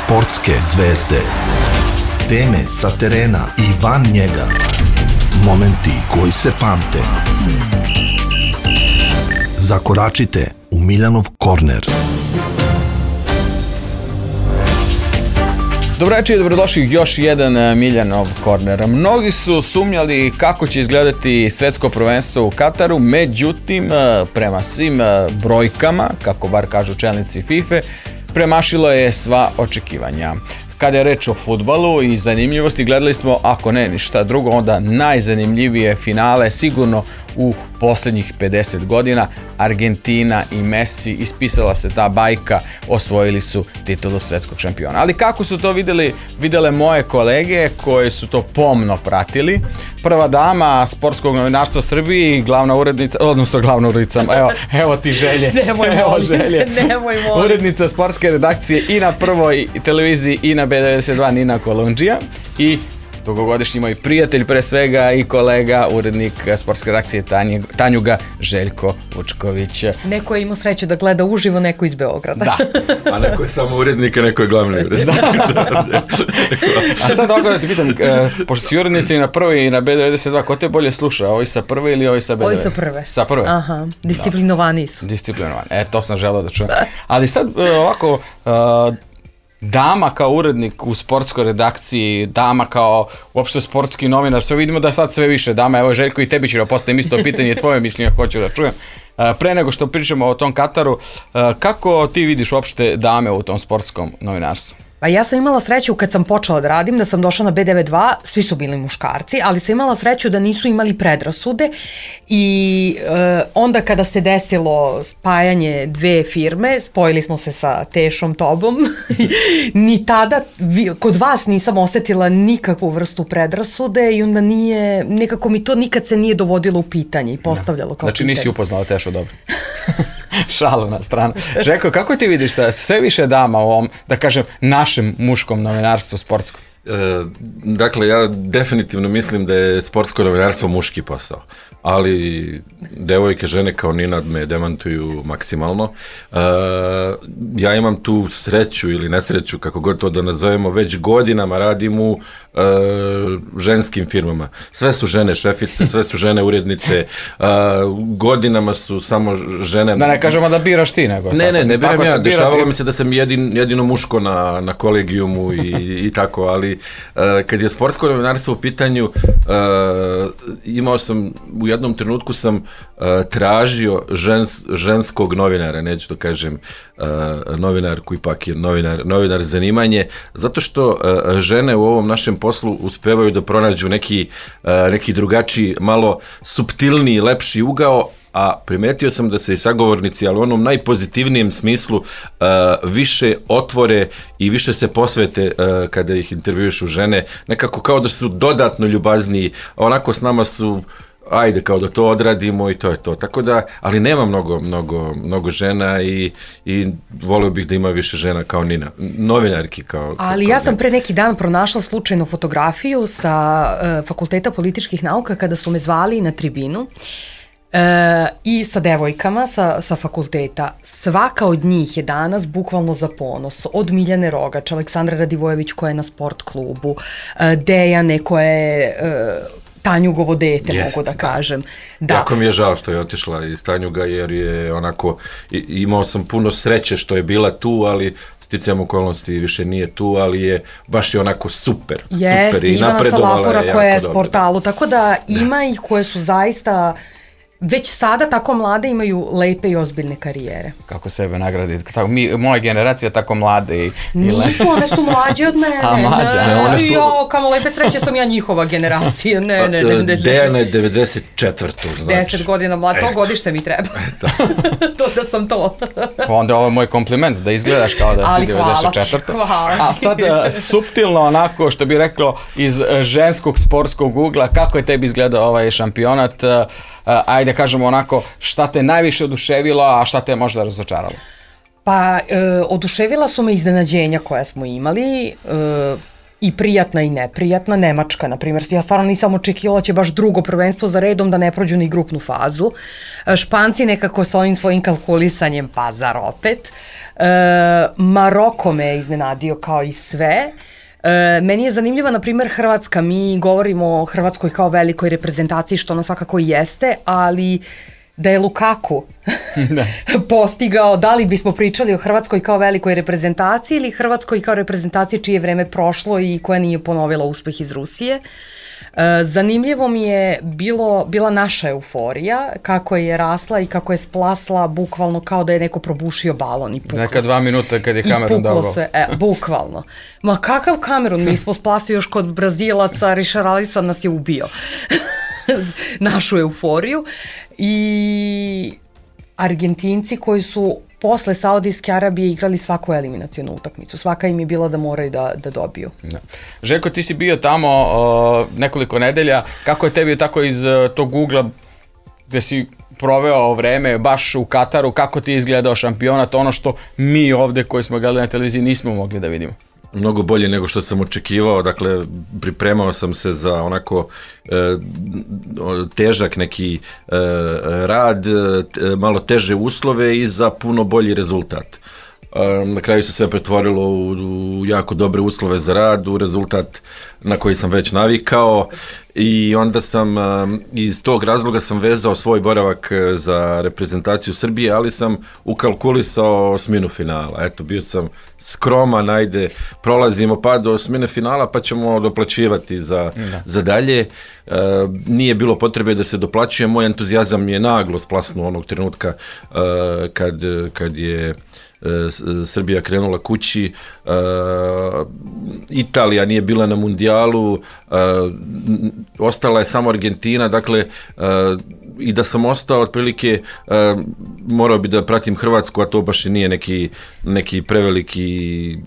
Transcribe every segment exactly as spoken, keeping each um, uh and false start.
Sportske zvezde. Teme sa terena i van njega. Momenti koji se pamte. Zakoračite u Miljanov korner. Dobro večer i dobrodošli još jedan Miljanov korner. Mnogi su sumnjali kako će izgledati svetsko prvenstvo u Kataru, međutim, prema svim brojkama, kako bar kažu čelnici FIFA, premašilo je sva očekivanja. Kada je reč o fudbalu i zanimljivosti, gledali smo, ako ne ništa drugo, onda najzanimljivije finale sigurno u posljednjih pedeset godina. Argentina i Messi, ispisala se ta bajka, osvojili su titulu svetskog šampiona. Ali kako su to vidjeli, vidjele moje kolege koje su to pomno pratili? Prva dama sportskog novinarstva Srbiji, glavna urednica, odnosno glavna urednica, evo, evo ti želje. Nemoj evo molim, želje. nemoj molim. Urednica sportske redakcije i na prvoj televiziji i na B devedeset dva Nina Kolundžija i dugogodišnji moj prijatelj pre svega i kolega, urednik sportske redakcije Tanjuga, Željko Vučković. Neko je imao sreću da gleda uživo, neko iz Beograda. Da. A neko je samo urednik, a neko je glavni urednik. Da. A sad ovako da ti pitam, pošto si urednica i na prvoj i na B devedeset dva, ko te bolje sluša? Ovi sa prve ili ovi sa B devedeset dva? Ovi sa prve. Sa prve? Aha, disciplinovani su. Disciplinovani, e, to sam želeo da čujem. Ali sad ovako... Uh, dama kao urednik u sportskoj redakciji, dama kao uopšte sportski novinar, sve vidimo da sad sve više dama, evo Željko i tebi ću da postavim isto pitanje, tvoje mišljenje hoću da čujem. Pre nego što pričamo o tom Kataru, kako ti vidiš uopšte dame u tom sportskom novinarstvu? Pa ja sam imala sreću kad sam počela da radim, da sam došla na B devedeset dva, svi su bili muškarci, ali sam imala sreću da nisu imali predrasude i e, onda kada se desilo spajanje dve firme, spojili smo se sa Tešom, tobom, ni tada vi, kod vas nisam osetila nikakvu vrstu predrasude i onda nije, nekako mi to nikad se nije dovodilo u pitanje i postavljalo kao znači, pitanje. Znači nisi upoznala Tešu dobro? Šalu na stranu. Željko, kako ti vidiš sa sve više dama u ovom, da kažem, našem muškom novinarstvu sportskom? E, dakle, ja definitivno mislim da je sportsko novinarstvo muški posao, ali devojke, žene kao Nina me demantuju maksimalno. E, ja imam tu sreću ili nesreću, kako god to da nazovemo, već godinama radim u e, ženskim firmama. Sve su žene šefice, sve su žene urednice, e, godinama su samo žene... Da ne kažemo da biraš ti, nego... Ne, ne, ne biram ja, dešavalo ti... mi se da sam jedin, jedino muško na, na kolegijumu i, i tako, ali uh, kad je sportsko novinarstvo u pitanju, uh, imao sam, u jednom trenutku sam uh, tražio žens, ženskog novinara, neću to kažem uh, novinar koji ipak je novinar, novinar zanimanje, zato što uh, žene u ovom našem poslu uspevaju da pronađu neki, uh, neki drugačiji, malo suptilniji, lepši ugao, a primetio sam da se i sagovornici, ali u onom najpozitivnijem smislu, uh, više otvore i više se posvete uh, kada ih intervjušu žene, nekako kao da su dodatno ljubazniji, onako s nama su ajde kao da to odradimo i to je to. Tako da, ali nema mnogo, mnogo, mnogo žena i, i volio bih da ima više žena kao Nina, novinarki kao... Ali kao ja sam Nina. pre neki dan pronašla slučajno fotografiju sa uh, Fakulteta političkih nauka kada su me zvali na tribinu. E, i sa devojkama sa, sa fakulteta. Svaka od njih je danas bukvalno za ponos. Od Miljane Rogač, Aleksandra Radivojević koja je na sport klubu, e, Dejane koja je e, Tanjugovo dete, Jest, mogu da kažem. Da. Jako mi je žao što je otišla iz Tanjuga jer je onako, imao sam puno sreće što je bila tu, ali sticajem okolnosti više nije tu, ali je baš je onako super. Jest, super i Ivana Salapura je koja je dobro. sportalu, tako da ima da. ih koje su zaista već sada tako mlade imaju lepe i ozbiljne karijere. Kako sebe nagraditi? Tako, mi, moja generacija tako mlade i, i lepe. Nisu, one su mlađe od mene. A, mlađe, ne, ne, one su... Jo, kamo lepe sreće sam ja njihova generacija. Ne, ne, ne, ne, ne. Dejana je devedeset četvrta znači. deset godina mlada, to godište mi treba. To da sam to. Pa onda ovo je moj kompliment, da izgledaš kao da si devedeset četvrta. Hvala. A sad suptilno onako, što bi reklo, iz ženskog sportskog ugla, kako je tebi izgledao ovaj šampionat? Ajde kažemo onako, šta te najviše oduševilo, a šta te je možda razočaralo? Pa, e, oduševila su me iznenađenja koja smo imali. E, i prijatna i neprijatna. Nemačka, na primjer, ja stvarno nisam očekivala će baš drugo prvenstvo za redom da ne prođu ni grupnu fazu. Španci nekako sa ovim svojim kalkulisanjem, pa zar opet. E, Maroko me je iznenadio kao i sve. E, meni je zanimljiva, na primjer, Hrvatska. Mi govorimo o Hrvatskoj kao velikoj reprezentaciji, što ona svakako jeste, ali da je Lukaku da. postigao, da li bismo pričali o Hrvatskoj kao velikoj reprezentaciji ili Hrvatskoj kao reprezentaciji čije vreme prošlo i koja nije ponovila uspeh iz Rusije. E, zanimljivo mi je bilo, bila naša euforija, kako je rasla i kako je splasla bukvalno kao da je neko probušio balon i puklo se. Neka dva minuta kad je Kamerun dao gol. E, bukvalno. Ma kakav Kamerun? Mi smo splasili još kod Brazilaca, Richarlison nas je ubio. Našu euforiju. I Argentinci koji su posle Saudijske Arabije igrali svaku eliminacionu utakmicu. Svaka im je bila da moraju da, da dobiju. Da. Željko, ti si bio tamo o, nekoliko nedelja. Kako je tebi tako iz tog ugla gde si proveo vreme baš u Kataru, kako ti je izgledao šampionat, ono što mi ovde koji smo gledali na televiziji nismo mogli da vidimo? Mnogo bolje nego što sam očekivao, dakle pripremao sam se za onako e, težak neki e, rad, e, malo teže uslove i za puno bolji rezultat. E, na kraju se sve pretvorilo u, u jako dobre uslove za rad, u rezultat na koji sam već navikao i onda sam iz tog razloga sam vezao svoj boravak za reprezentaciju Srbije, ali sam ukalkulisao osminu finala. Eto, bio sam skroman, ajde, prolazimo pa do osmine finala pa ćemo doplaćivati za, za dalje. E, nije bilo potrebe da se doplaćuje, moj entuzijazam je naglo splasnuo onog trenutka e, kad, kad je Srbija krenula kući, uh, Italija nije bila na mundijalu, uh, ostala je samo Argentina, dakle uh, i da sam ostao otprilike uh, morao bi da pratim Hrvatsku, a to baš i nije neki, neki preveliki,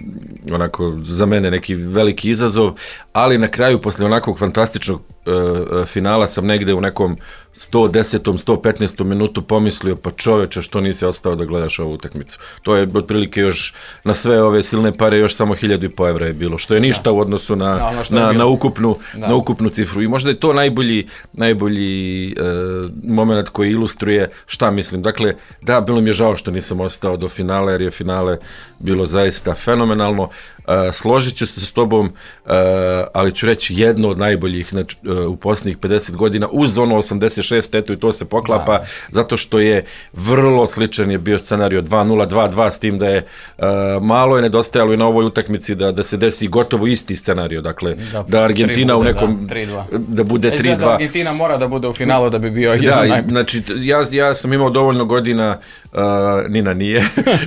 onako za mene neki veliki izazov, ali na kraju posle onakvog fantastičnog uh, finala sam negde u nekom sto desetom, sto petnaestom minutu pomislio, pa čoveče, što nisi ostao da gledaš ovu utakmicu. To je otprilike još na sve ove silne pare još samo hiljadu i po evra je bilo, što je ništa da. u odnosu na, da, ono na, na, ukupnu, na ukupnu cifru. I možda je to najbolji, najbolji e, moment koji ilustruje šta mislim. Dakle, da, bilo mi je žao što nisam ostao do finala, jer je finale bilo zaista fenomenalno. Uh, složit ću se s tobom, uh, ali ću reći jedno od najboljih znači, uh, u posljednjih pedeset godina, uz ono osamdeset šest, eto i to se poklapa, da. zato što je vrlo sličan je bio scenario dva nula, dva dva, s tim da je uh, malo je nedostajalo i na ovoj utakmici da, da se desi gotovo isti scenario, dakle da, da Argentina bude, u nekom, da, da bude tri dva. Argentina mora da bude u finalu da bi bio jedan da, najbolji. Znači, ja, ja sam imao dovoljno godina, uh, Nina nije,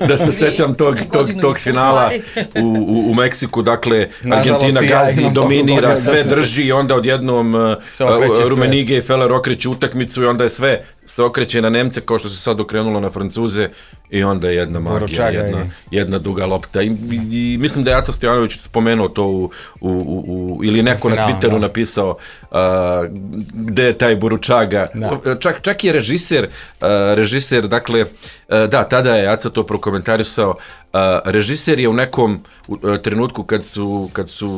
da se sećam tog, tog, tog finala u, u u Meksiku, dakle, Argentina gazi, ja dominira, sve da drži i onda odjednom uh, Rumenige i Feller okreće utakmicu i onda je sve se okreće na Nemce kao što se sad okrenulo na Francuze i onda je jedna magija, jedna, jedna duga lopta. I, i, i mislim da je Aca Stojanović spomenuo to u, u, u, u ili neko na Twitteru da. napisao uh, gde je taj Boručaga. Da. Čak, čak i režiser, uh, režiser, dakle, uh, da, tada je Aca to prokomentarisao. Uh, režiser je u nekom uh, trenutku kad su, kad su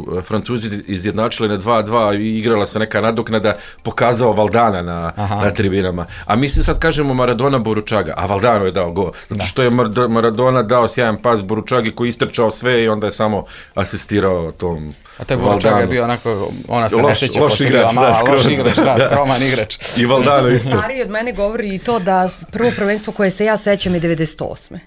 uh, Francuzi izjednačili na dva dva i igrala se neka nadoknada, pokazao Valdana na, na tribinama. A mi se sad kažemo Maradona Boručaga, a Valdano je dao gol. Zato što je Maradona dao sjajan pas Boručagi koji istrčao sve i onda je samo asistirao tom. A taj Boručaga je bio onako, ona se ne sjeća postavila malo, loš igrač, da, skroman igrač. I Valdano isto. Stariji od mene govori i to da prvo prvenstvo koje se ja sećam je devedeset osme.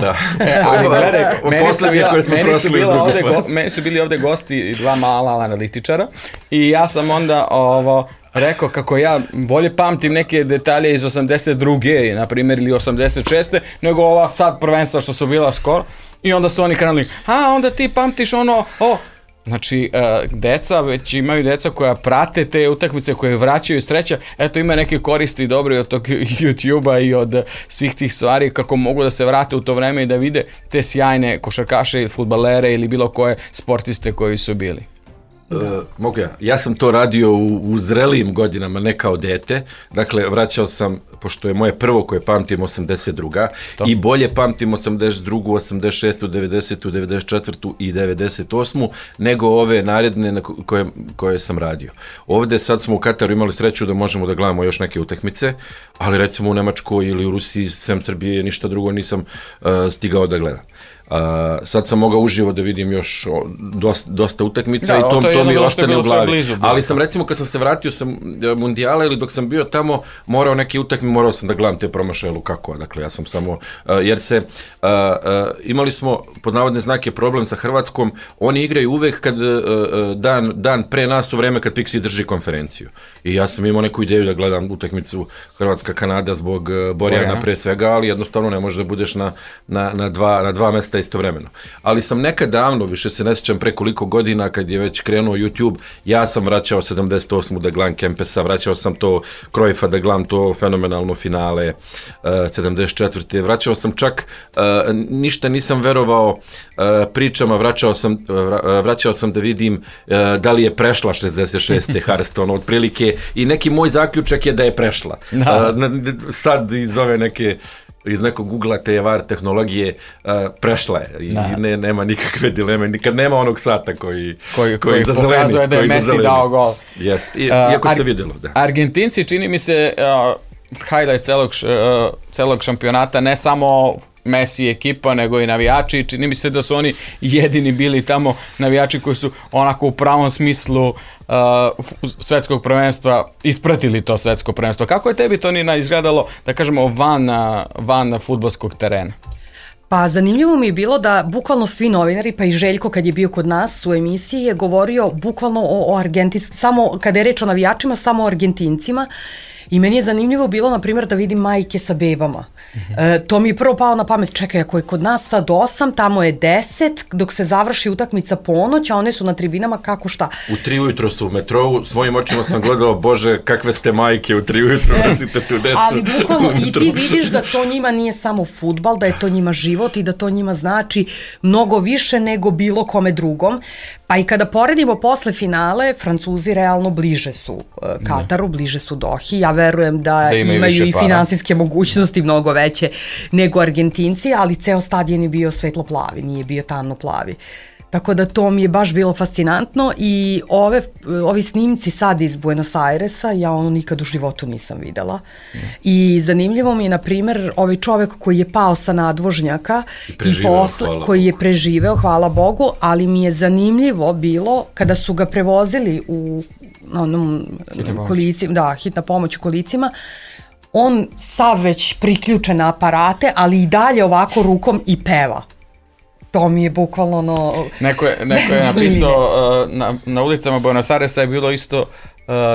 Da. E, ali gledaj, meni su, bila, meni, su bila ovde go, meni su bili ovde gosti dva mala analitičara i ja sam onda ovo rekao kako ja bolje pamtim neke detalje iz osamdeset druge na primjer ili osamdeset šeste nego ova sad prvenstva što su bila skoro i onda su oni krenuli, a onda ti pamtiš ono, o, znači, uh, deca, već imaju deca koja prate te utakmice, koje vraćaju sreća, eto ima neke koristi dobre od tog YouTube-a i od svih tih stvari, kako mogu da se vrate u to vreme i da vide te sjajne košarkaše ili fudbalere ili bilo koje sportiste koji su bili. Uh, mogu ja. Ja sam to radio u, u zrelijim godinama, ne kao dete. Dakle, vraćao sam, pošto je moje prvo koje pamtim osamdeset druga Stop. I bolje pamtim osamdeset drugu, osamdeset šestu, devedesetu, devedeset četvrtu i devedeset osmu nego ove naredne na koje, koje sam radio. Ovde sad smo u Kataru imali sreću da možemo da gledamo još neke utakmice, ali recimo u Nemačkoj ili u Rusiji, sem Srbije, ništa drugo nisam uh, stigao da gledam. Uh, sad sam mogao uživo da vidim još o, dosta, dosta utakmica, da, i to, to, to mi ostane u glavi. Blizu, ali sam recimo kad sam se vratio sa mundijala ili dok sam bio tamo, morao neke utakmice, morao sam da gledam te promašaje Lukakova. Dakle, ja sam samo, uh, jer se, uh, uh, imali smo pod navodne znake problem sa Hrvatskom, oni igraju uvek kad uh, dan, dan pre nas u vreme kad Pixi drži konferenciju. I ja sam imao neku ideju da gledam utakmicu Hrvatska-Kanada zbog uh, Borjana pre svega, ali jednostavno ne možeš da budeš na, na, na, dva, na dva mesta istovremeno. Ali sam nekad davno, više se ne sjećam pre koliko godina, kad je već krenuo YouTube, ja sam vraćao sedamdeset osmu da gledam Kempesa, vraćao sam to Cruyffa da gledam to fenomenalno finale uh, sedamdeset četvrte Vraćao sam čak, uh, ništa nisam verovao uh, pričama, vraćao sam, uh, vraćao sam da vidim uh, da li je prešla šezdeset šeste Hearthstone otprilike i neki moj zaključak je da je prešla. No. Uh, sad iz ove neke iz nekog Google-a te var tehnologije uh, prešla je i da. ne, nema nikakve dileme, nikad nema onog sata koji, koji, koji, koji pokazuje da je Messi dao gol. Jest, I, iako uh, se vidjelo. Da. Argentinci, čini mi se, uh, highlight celog, uh, celog šampionata, ne samo Messi ekipa, nego i navijači. Čini mi se da su oni jedini bili tamo navijači koji su onako u pravom smislu uh, svetskog prvenstva ispratili to svetsko prvenstvo. Kako je tebi to, Nina, izgledalo, da kažemo, van, van fudbalskog terena? Pa zanimljivo mi je bilo da bukvalno svi novinari, pa i Željko kad je bio kod nas u emisiji je govorio bukvalno o, o Argentinskim, samo kada je reč o navijačima, samo o Argentincima. I meni je zanimljivo bilo, na primjer, da vidim majke sa bebama. E, to mi je prvo palo na pamet, čekaj, ako je kod nas sad osam, tamo je deset, dok se završi utakmica ponoć, a one su na tribinama, kako šta? U tri ujutro su u metrovu, svojim očima sam gledao, bože, kakve ste majke u tri ujutro, nosite tu decu. Ali bukvalno i ti vidiš da to njima nije samo fudbal, da je to njima život i da to njima znači mnogo više nego bilo kome drugom. Pa i kada poredimo posle finale, Francuzi realno bliže su uh, Kataru, bliže su Dohi. Ja verujem da, da imaju, imaju i finansijske mogućnosti mnogo veće nego Argentinci, ali ceo stadion je bio svetlo plavi, nije bio tamno plavi. Tako da to mi je baš bilo fascinantno i ove, ovi snimci sad iz Buenos Airesa, ja ono nikad u životu nisam videla. Mm. I zanimljivo mi je, na primer, ovaj čovek koji je pao sa nadvožnjaka i, i posle, koji je preživeo, hvala Bogu, ali mi je zanimljivo bilo kada su ga prevozili u onom kolicima, da, hitna pomoć u kolicima, on sav već priključen na aparate, ali i dalje ovako rukom i peva. To mi je bukvalno ono... Neko je, neko je napisao, uh, na, na ulicama Buenos Airesa je bilo isto uh,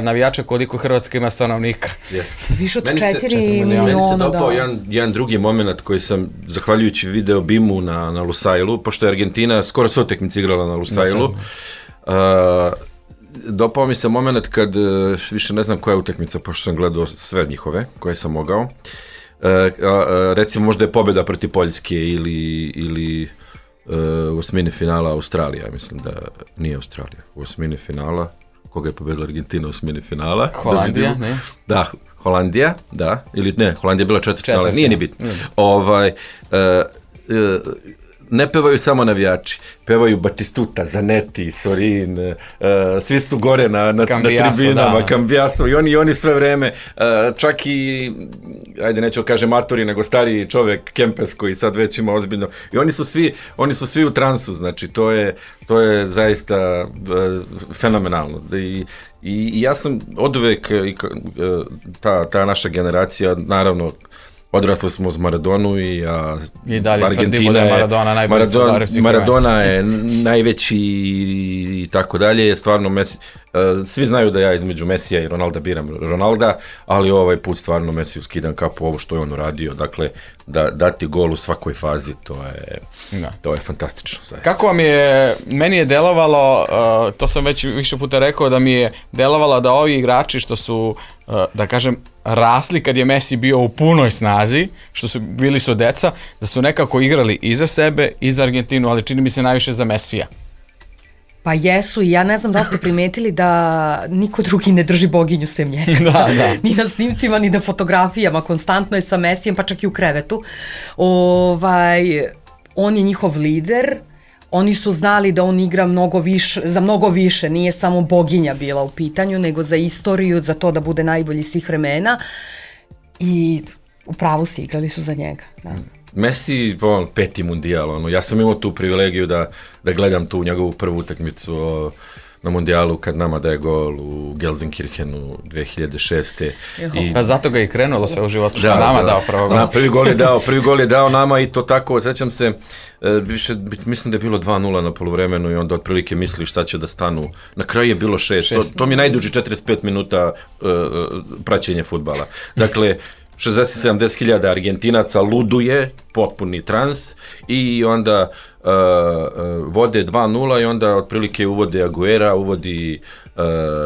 navijača koliko Hrvatska ima stanovnika. Jeste. Više od četiri miliona, meni se da. dopao jedan, jedan drugi moment koji sam, zahvaljujući video Bimu na, na Lusailu, pošto je Argentina skoro sve utakmice igrala na Lusailu, uh, dopao mi se moment kad, uh, više ne znam koja je utakmica, pošto sam gledao sve njihove koje sam mogao, uh, uh, recimo možda je pobjeda protiv Poljske ili... ili u osmini finala Australija, mislim da nije Australija, u osmini finala, koga je pobedila Argentina u osmini finala? Holandija, da ne? Da, Holandija, da, ili ne, Holandija je bila četvrtfinala, nije ni bitno. Mm. Ovaj, uh, uh, ne pevaju samo navijači, pevaju Batistuta, Zanetti, Sorin, uh, svi su gore na, na, na tribinama, Cambiaso, i oni, i oni sve vreme, uh, čak i, ajde neću kažem matori, nego stariji čovek, Kempes, koji sad već ima ozbiljno, i oni su svi, oni su svi u transu, znači to je, to je zaista uh, fenomenalno. I, i, i ja sam oduvek, i, uh, ta, ta naša generacija, naravno, odrasli smo uz Maradonu i a, I dalje Argentina je Maradona najbolji Maradona, Maradona je najveći i tako dalje. Stvarno Messi, uh, svi znaju da ja između Messija i Ronalda biram Ronalda, ali ovaj put stvarno Messiju skidam kapu ovo što je on uradio. Dakle, da dati gol u svakoj fazi, to je da. to je fantastično. Zaista. Kako vam je, meni je delovalo, uh, to sam već više puta rekao, da mi je delovalo da ovi igrači što su, uh, da kažem, rasli kad je Messi bio u punoj snazi, što su bili su deca, da su nekako igrali i za sebe i za Argentinu, ali čini mi se najviše za Messija. Pa jesu i ja ne znam da ste primetili da niko drugi ne drži boginju sem njega. Da, da. Ni na snimcima, ni na fotografijama, konstantno je sa Mesijem, pa čak i u krevetu. Ovaj, on je njihov lider, oni su znali da on igra mnogo više, za mnogo više, nije samo boginja bila u pitanju, nego za istoriju, za to da bude najbolji svih vremena i u pravu si, igrali su za njega. Da. Messi, on, peti mundijal, ono, ja sam imao tu privilegiju da, da gledam tu njegovu prvu utakmicu o, na mundijalu kad nama daje gol u Gelsenkirchenu dve hiljade šeste. I... Pa zato ga i krenulo sve u životu, što da, nama da, dao prvo gol. Da, prvi gol je dao, prvi gol je dao nama i to tako, sećam se, više, mislim da je bilo dva nula na poluvremenu i onda otprilike misliš sad će da stanu. Na kraju je bilo šest, to, to mi je najduži četrdeset pet minuta uh, praćenja fudbala. Dakle, šezdeset do sedamdeset hiljada Argentinaca luduje, potpuni trans i onda uh, uh, vode dva nula i onda otprilike uvode Aguera, uvodi uh,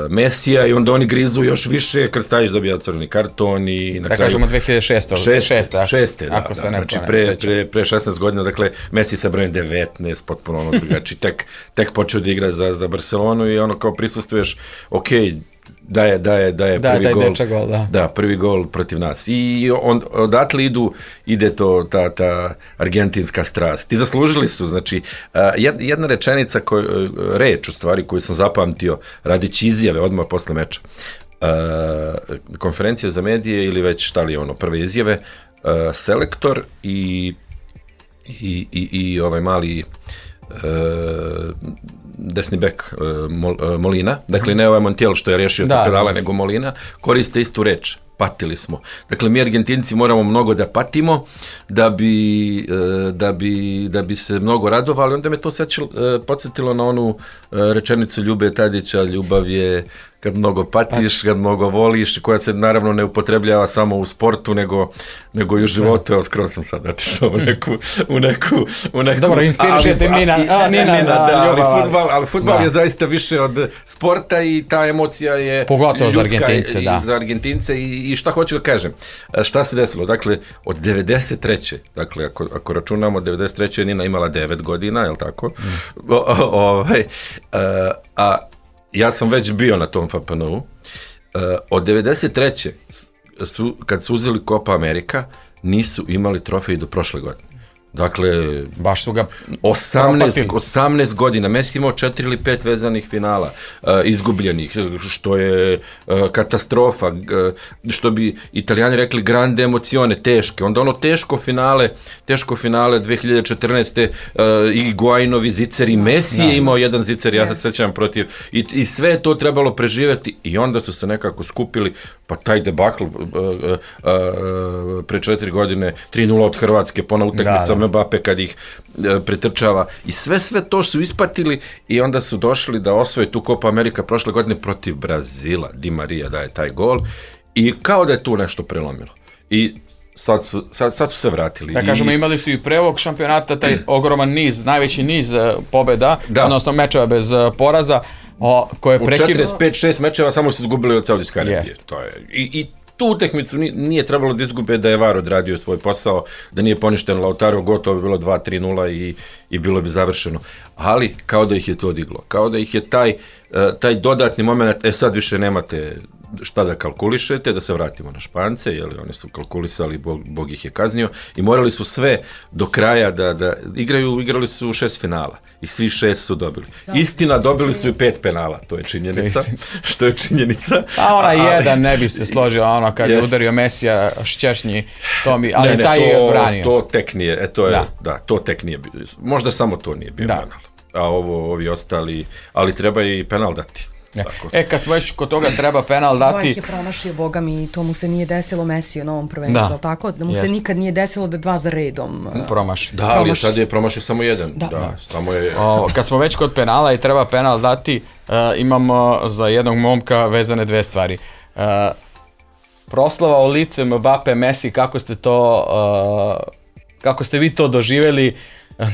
Mesija i onda oni grizu još više kad staviš dobija crveni karton i na da kraju... Da kažemo dve hiljade šeste. Šeste, šeste, da, ako se da, ne znači pre, pre, pre šesnaest godina, dakle Messi sa brojem devetnaest, potpuno ono drugačiji, tek, tek počeo da igra za, za Barcelonu i ono kao prisustvuješ, okej, okay, da je, da je, da je da, prvi gol, gol da. da, prvi gol protiv nas. I on, odatle idu, ide to, ta, ta argentinska strast. I zaslužili su, znači, jedna rečenica, koj, reč u stvari koju sam zapamtio, radići izjave odmah posle meča, konferencija za medije ili već šta li je ono, prve izjave, selektor i, i, i, i ovaj mali desni bek Molina, dakle ne ovaj Montiel što je rešio sa pedala, nego Molina, koriste istu reč, patili smo. Dakle, mi Argentinci moramo mnogo da patimo da bi, da bi, da bi se mnogo radovali, onda me to sećilo, podsjetilo na onu rečenicu Ljube Tadića, ljubav je kad mnogo patiš, kad mnogo voliš, koja se naravno ne upotrebljava samo u sportu, nego, nego i u životu. Evo, skoro sam sad otišao u neku... U neku, u neku Dobro, inspirišete Nina. A, Nina, Nina, da, ali futbal, ali futbal da. je zaista više od sporta i ta emocija je pogotovo ljudska za Argentince, i, da. za Argentince i, i šta hoću da kažem. Šta se desilo? Dakle, od devedeset treće dakle, ako, ako računamo, devedeset treće je Nina imala devet godina, je li tako? Mm. O, o, ovaj, a, a ja sam već bio na tom F P N U. Uh, od devedeset treće su, kad su uzeli Copa America, nisu imali trofej do prošle godine. Dakle, baš su ga osamnaest, osamnaest godina, Messi imao četiri ili pet vezanih finala, uh, izgubljenih, što je uh, katastrofa, uh, što bi Italijani rekli grande emocione, teške. Onda ono teško finale, teško finale dve hiljade četrnaeste. Uh, i Guainovi zicer i Messi je imao jedan zicer, ja se sećam protiv, i, i sve je to trebalo preživjeti i onda su se nekako skupili, pa taj debakl uh, uh, uh, pre četiri godine, tri nula od Hrvatske, pona utakmica Mbappe kad ih e, pretrčava i sve sve to su ispatili i onda su došli da osvoje tu Copa America prošle godine protiv Brazila. Di Maria daje taj gol i kao da je tu nešto prelomilo. I sad su, sad, sad su se vratili. Da kažemo, I, imali su i pre ovog šampionata taj ogroman niz, najveći niz pobjeda, da. odnosno mečeva bez poraza, o, koje u prekid... četrdeset pet šest mečeva samo su izgubili od Saudijske Arabije. To je. I, i tu utakmicu nije trebalo da izgube, da je V A R odradio svoj posao, da nije poništen Lautaro, gotovo bi bilo dva tri nula i, i bilo bi završeno. Ali kao da ih je to diglo, kao da ih je taj, taj dodatni moment, e sad više nemate šta da kalkulišete, da se vratimo na Špance, jer oni su kalkulisali, Bog, Bog ih je kaznio i morali su sve do kraja da, da igraju, igrali su šest finala i svi šest su dobili. Istina, dobili su i pet penala, to je činjenica, što je činjenica. A ona ali, jedan ne bi se složio, ono kad jest. je udario Mesija Šćernji, to mi, ali ne, ne, taj to, je branio. To tek nije, e, to je, da. da, to tek nije, možda samo to nije bio da. penal, a ovo, ovi ostali, ali treba i penal dati. E, e, kad već kod toga treba penal dati... Dvojih je promašio, boga mi, to mu se nije desilo Mesiju na ovom prvenstvu, da. tako? Da mu Jest. se nikad nije desilo da dva za redom uh, promaši. Da, ali sad je promašio samo jedan. Da. Da, samo je... O, kad smo već kod penala i treba penal dati, uh, imamo za jednog momka vezane dve stvari. Uh, proslava u lice Mbappe, Messi, kako ste to... Uh, kako ste vi to doživjeli?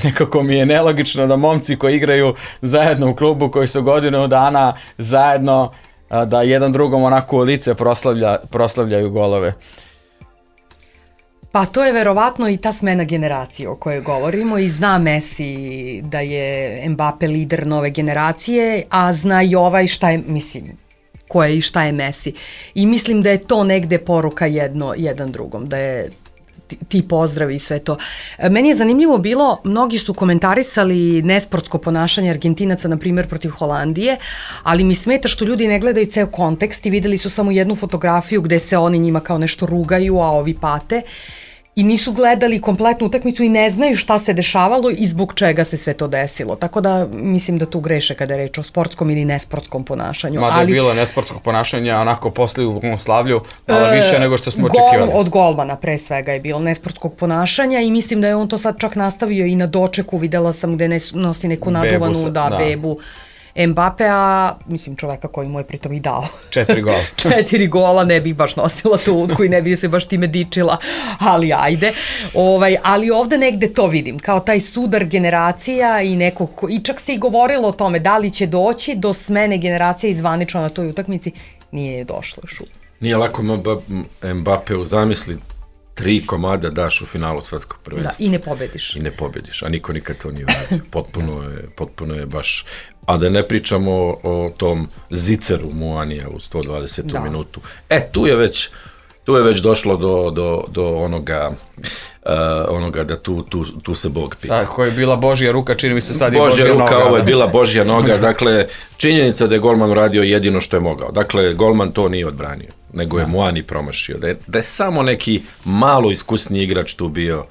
Nekako mi je nelogično da momci koji igraju zajedno u klubu, koji su godinu dana zajedno, da jedan drugom onako u lice proslavlja, proslavljaju golove. Pa to je verovatno i ta smena generacije o kojoj govorimo i zna Messi da je Mbappe lider nove generacije, a zna i ovaj šta je, mislim, ko je i šta je Messi. I mislim da je to negde poruka jedno, jedan drugom, da je ti, ti pozdravi i sve to. Meni je zanimljivo bilo, mnogi su komentarisali nesportsko ponašanje Argentinaca, na primjer, protiv Holandije, ali mi smeta što ljudi ne gledaju ceo kontekst i videli su samo jednu fotografiju gde se oni njima kao nešto rugaju, a ovi pate. I nisu gledali kompletnu utakmicu i ne znaju šta se dešavalo i zbog čega se sve to desilo. Tako da mislim da tu greše kada je reč o sportskom ili nesportskom ponašanju. Mada je ali, bilo nesportskog ponašanja, onako posle u slavlju, malo više e, nego što smo gol, očekivali. Od golmana pre svega je bilo nesportskog ponašanja i mislim da je on to sad čak nastavio i na dočeku. Videla sam gde ne, nosi neku naduvanu bebu, da, da. bebu. Mbappe, a mislim čoveka koji mu je pritom i dao. Četiri gola. Četiri gola, ne bih baš nosila tu utku i ne bih se baš time dičila, ali ajde. Ovaj, ali ovde negde to vidim, kao taj sudar generacija i nekog, i čak se i govorilo o tome da li će doći do smene generacije izvanično na toj utakmici, nije došlo još uvijek. Nije lako Mbappe u zamisli tri komada daš u finalu svetskog prvenstva. Da, i ne pobediš. I ne pobediš, a niko nikad to nije uradio. Potpuno je, potpuno je baš... A da ne pričamo o, o tom ziceru Muanija u sto dvadesetu da. minutu. E, tu je već, tu je već došlo do, do, do onoga, uh, onoga da tu, tu, tu se Bog pita. Sad, koja je bila Božja ruka, čini mi se sad Božja i Božja ruka, noga. ovo je bila Božja noga, dakle, činjenica da je golman uradio jedino što je mogao. Dakle, golman to nije odbranio, nego je da. Muani promašio. Da je, da je samo neki malo iskusniji igrač tu bio,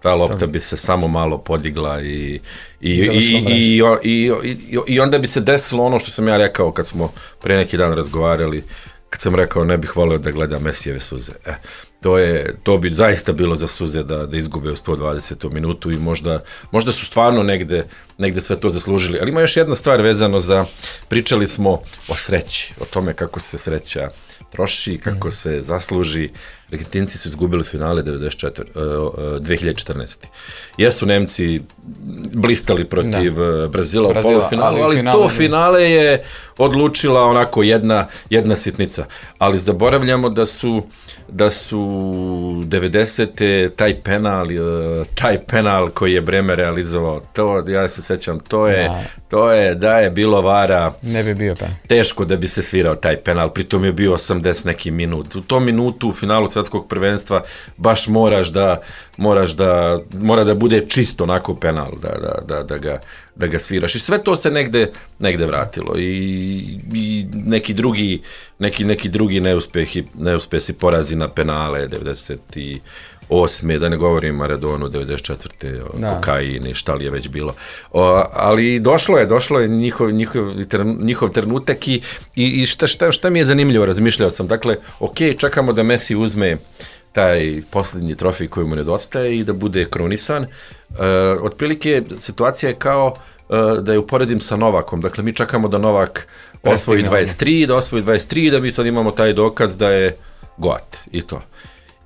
ta lopta bi se samo malo podigla i, i, i, i, i, i, i onda bi se desilo ono što sam ja rekao kad smo pre neki dan razgovarali, kad sam rekao ne bih volio da gledam Mesijeve suze. E, to, je, to bi zaista bilo za suze da, da izgube u sto dvadesetu minutu i možda, možda su stvarno negde, negde sve to zaslužili. Ali ima još jedna stvar vezano za, pričali smo o sreći, o tome kako se sreća troši, kako mm. se zasluži. Argentinci su izgubili finale devedeset četvrte, dve hiljade četrnaeste. Jesu Nemci blistali protiv da. Brazila, Brazila u polufinalu, ali, ali finale to finale je odlučila onako jedna, jedna sitnica. Ali zaboravljamo da su, da su devedesete taj penal, taj penal koji je Bremer realizovao, to, ja se sećam, to je, da. to je, da je bilo vara, ne bi bio penal. Teško da bi se svirao taj penal, pritom je bio osamdeset neki minut. U tom minutu u finalu svetskog prvenstva baš moraš da moraš da mora da bude čisto onako penal da, da, da, da, ga, da ga sviraš i sve to se negde, negde vratilo i, i neki drugi neki, neki drugi neuspehi, neuspesi porazi na penale devedeset osme da ne govorim Maradonu devedeset četvrte Da. Kokain i šta li je već bilo. O, ali došlo je, došlo je njihov, njihov, njihov trenutak i, i šta, šta, šta mi je zanimljivo, razmišljao sam, dakle, ok, čekamo da Messi uzme taj posljednji trofej koji mu nedostaje i da bude krunisan. E, otprilike situacija je kao e, da je uporedim sa Novakom, dakle mi čekamo da Novak osvoji dvadeset tri, da osvoji dvadeset tri, da mi sad imamo taj dokaz da je goat i to.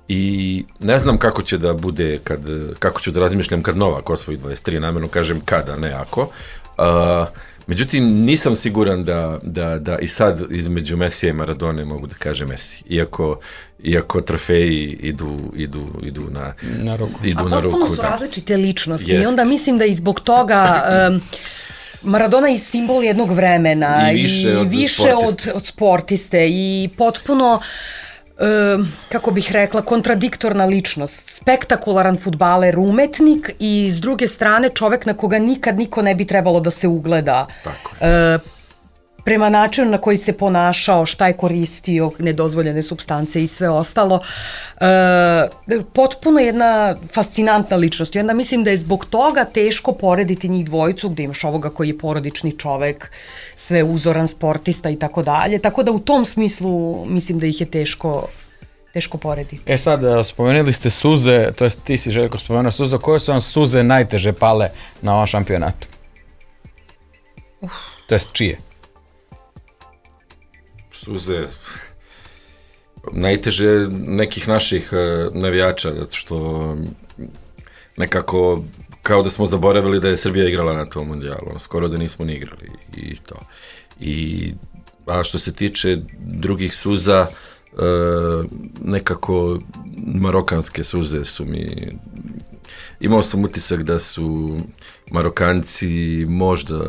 I ne znam kako će da bude, kad, kako ću da razmišljam kad Novak osvoji dvadeset tri, namjerno kažem kada, ne ako. Uh, međutim, nisam siguran da, da, da i sad između Mesija i Maradone mogu da kažem Messi, iako, iako trofeji idu, idu, idu na, na ruku. Idu A na potpuno ruku, su da. različite ličnosti Jest. I onda mislim da i zbog toga... Um, Maradona je simbol jednog vremena i više, i od, više sportiste. Od, od sportiste i potpuno... Uh, kako bih rekla, kontradiktorna ličnost, spektakularan fudbaler, umetnik i s druge strane čovek na koga nikad niko ne bi trebalo da se ugleda. Tako je. Uh, prema načinu na koji se ponašao, šta je koristio, nedozvoljene supstance i sve ostalo. E, potpuno jedna fascinantna ličnost. I onda mislim da je zbog toga teško porediti njih dvojicu, gde imaš ovoga koji je porodični čovek, sve uzoran sportista i tako dalje. Tako da u tom smislu mislim da ih je teško teško porediti. E sad, spomenuli ste suze, to jest ti si Željko spomenuo suze, koje su vam suze najteže pale na ovom šampionatu? Uf. To jest čije? Suze najteže nekih naših uh, navijača, zato što nekako kao da smo zaboravili da je Srbija igrala na tom mundijalu, skoro da nismo ni igrali i to. I, a što se tiče drugih suza, nekako marokanske suze su mi, imao sam utisak da su Marokanci možda,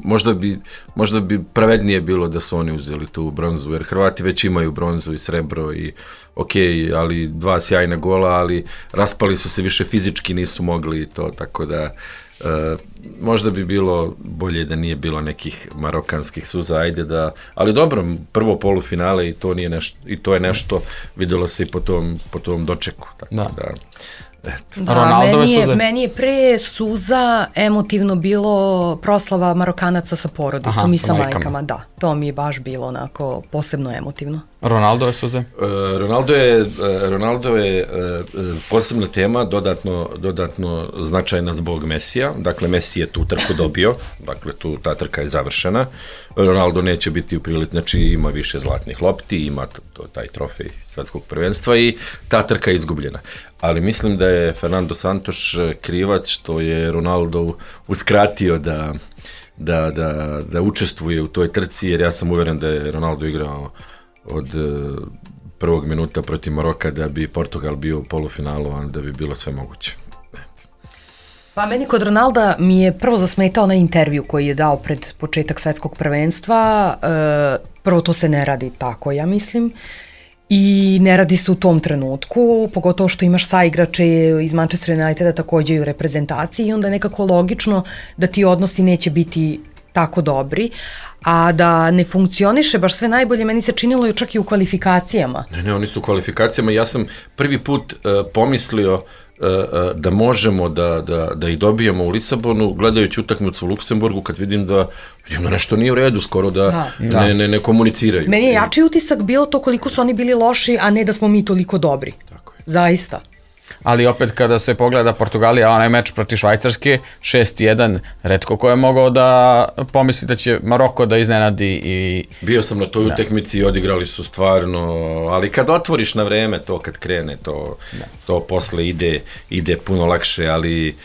možda bi, možda bi pravednije bilo da su oni uzeli tu bronzu, jer Hrvati već imaju bronzu i srebro i ok, ali dva sjajna gola, ali raspali su se više fizički, nisu mogli to, tako da Uh, možda bi bilo bolje da nije bilo nekih marokanskih suza, ajde da, ali dobro, prvo polufinale i to nije nešto, i to je nešto, videlo se i po tom, po tom dočeku, tako da, da eto. Da, Ronaldove meni je, suze? Meni je pre suza emotivno bilo proslava Marokanaca sa porodicom. Aha, i sa majkama. majkama. Da, to mi je baš bilo onako posebno emotivno. Ronaldove suze? Uh, Ronaldo je, uh, Ronaldo je uh, posebna tema, dodatno, dodatno značajna zbog Mesija. Dakle, Messi je tu trku dobio, dakle, tu ta trka je završena. Ronaldo neće biti u prilici, znači ima više zlatnih lopti, ima to, to, taj trofej svetskog prvenstva i ta trka je izgubljena. Ali mislim da je Fernando Santos krivac što je Ronaldo uskratio da, da, da, da učestvuje u toj trci, jer ja sam uveren da je Ronaldo igrao od prvog minuta protiv Maroka da bi Portugal bio u polufinalu, a da bi bilo sve moguće. Pa meni kod Ronalda mi je prvo zasmetao na intervju koji je dao pred početak svetskog prvenstva. Prvo to se ne radi tako, ja mislim. I ne radi se u tom trenutku, pogotovo što imaš saigrače iz Manchester Uniteda takođe i u reprezentaciji i onda je nekako logično da ti odnosi neće biti tako dobri, a da ne funkcioniše baš sve najbolje, meni se činilo čak i u kvalifikacijama. Ne, ne, oni su u kvalifikacijama. Ja sam prvi put uh, pomislio uh, uh, da možemo da, da, da ih dobijemo u Lisabonu, gledajući utakmicu u Luksemburgu, kad vidim da, vidim da nešto nije u redu, skoro da, da. Ne, ne, ne komuniciraju. Meni je jači utisak bilo to koliko su oni bili loši, a ne da smo mi toliko dobri. Tako je. Zaista. Ali opet kada se pogleda Portugalija, onaj meč protiv Švajcarske, šest jedan, retko ko je mogao da pomisli da će Maroko da iznenadi i... Bio sam na toj utekmici i odigrali su stvarno, ali kad otvoriš na vreme to, kad krene, to, to posle ide, ide puno lakše, ali...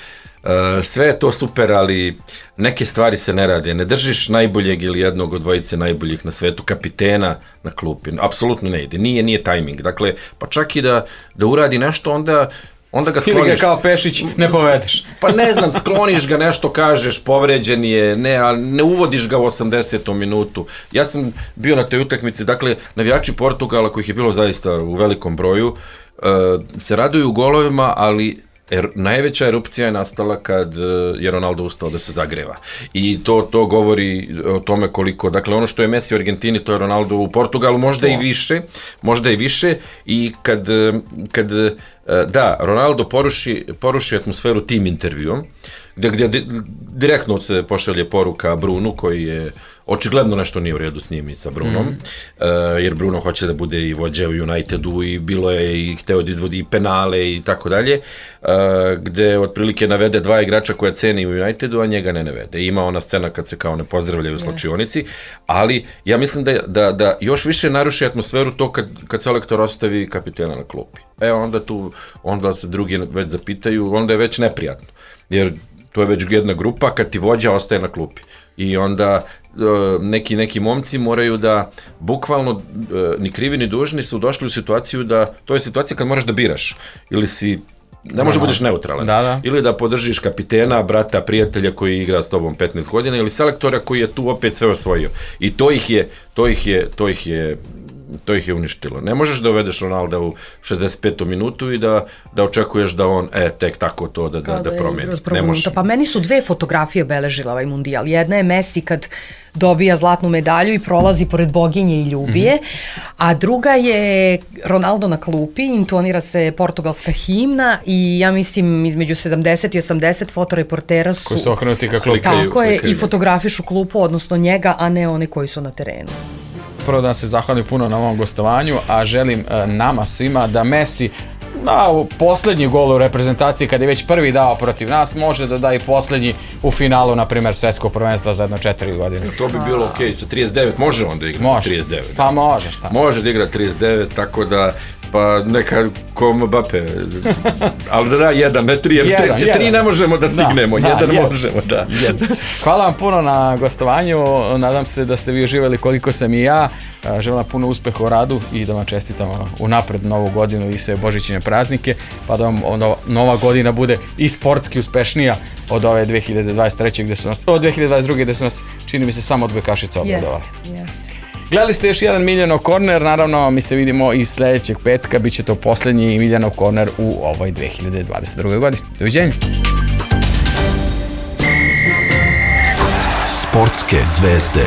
Uh, sve je to super, ali neke stvari se ne rade. Ne držiš najboljeg ili jednog od dvojice najboljih na svetu, kapitena na klupi. Apsolutno ne ide. Nije, nije tajming. Dakle, pa čak i da, da uradi nešto, onda, onda ga skloniš. Ili ga kao Pešić ne povedeš. Pa ne znam, skloniš ga, nešto kažeš, povređen je, ne, ali ne uvodiš ga u osamdesetom minutu. Ja sam bio na toj utakmici, dakle, navijači Portugala, kojih je bilo zaista u velikom broju, uh, se raduju golovima, ali Er, najveća erupcija je nastala kad je Ronaldo ustao da se zagreva. I to, to govori o tome koliko, dakle ono što je Messi u Argentini, to je Ronaldo u Portugalu, možda to. i više, možda i više i kad, kad da, Ronaldo poruši, poruši atmosferu tim intervjuom, gde, gde direktno se pošalje poruka Brunu, koji je očigledno nešto nije u redu s njim i sa Brunom, mm. uh, jer Bruno hoće da bude i vođa u Unitedu i bilo je i hteo da izvodi i penale i tako dalje, gde otprilike navede dva igrača koja ceni u Unitedu, a njega ne navede. Ima ona scena kad se kao ne pozdravljaju u slačionici, ali ja mislim da, da, da još više naruši atmosferu to kad, kad selektor ostavi kapitena na klupi. E onda tu, onda se drugi već zapitaju, onda je već neprijatno, jer to je već jedna grupa kad ti vođa ostaje na klupi. I onda neki, neki momci moraju da, bukvalno, ni krivi ni dužni su došli u situaciju da, to je situacija kad moraš da biraš, ili si, ne možeš da budeš neutralan, da, da. ili da podržiš kapitena, brata, prijatelja koji igra s tobom petnaest godina, ili selektora koji je tu opet sve osvojio. I to ih je, to ih je, to ih je, to ih je uništilo. Ne možeš da uvedeš Ronalda u šezdeset petom minutu i da, da očekuješ da on, e, tek tako to da, da, da, da promeni. Ne može. Pa meni su dve fotografije obeležile ovaj mundijal. Jedna je Messi kad dobija zlatnu medalju i prolazi pored boginje i ljubije, mm-hmm. a druga je Ronaldo na klupi, intonira se portugalska himna i ja mislim između sedamdeset i osamdeset fotoreportera su... Koji su okrenuti ka klupi. Tako je, i fotografišu klupu, odnosno njega, a ne one koji su na terenu. Prvo da se zahvalim puno na ovom gostovanju, a želim nama svima da Messi na poslednji gol u reprezentaciji, kada je već prvi dao protiv nas, može da da i poslednji u finalu, na primjer, svetskog prvenstva za jedno četiri godine. To bi bilo okej, okay. Sa trideset devet može on da igra može. trideset devet. Pa može, šta? Može da igra trideset devet, tako da Pa neka ko Mbappe, ali da da, jedan, ne tri, jer jedan, te, te jedan. tri ne možemo da stignemo, Da, jedan, da, jedan. možemo, da. Jedan. Hvala vam puno na gostovanju, nadam se da ste vi uživali koliko sam i ja, želim vam puno uspeha u radu i da vam čestitam unapred novu godinu i sve božićne praznike, pa da vam ono, nova godina bude i sportski uspešnija od ove dve hiljade dvadeset treće gde su nas, od dve hiljade dvadeset druge gde su nas, čini mi se, samo odbojkašica obradovali. Jeste, jeste. Gledali ste još jedan Miljanov korner, naravno mi se vidimo i sljedećeg petka, bit će to posljednji Miljanov korner u ovoj dve hiljade dvadeset druge godini. Doviđenja. Sportske zvezde.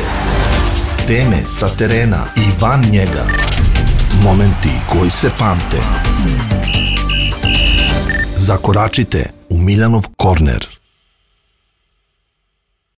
Teme sa terena i van njega. Momenti koji se pamte. Zakoračite u Miljanov korner.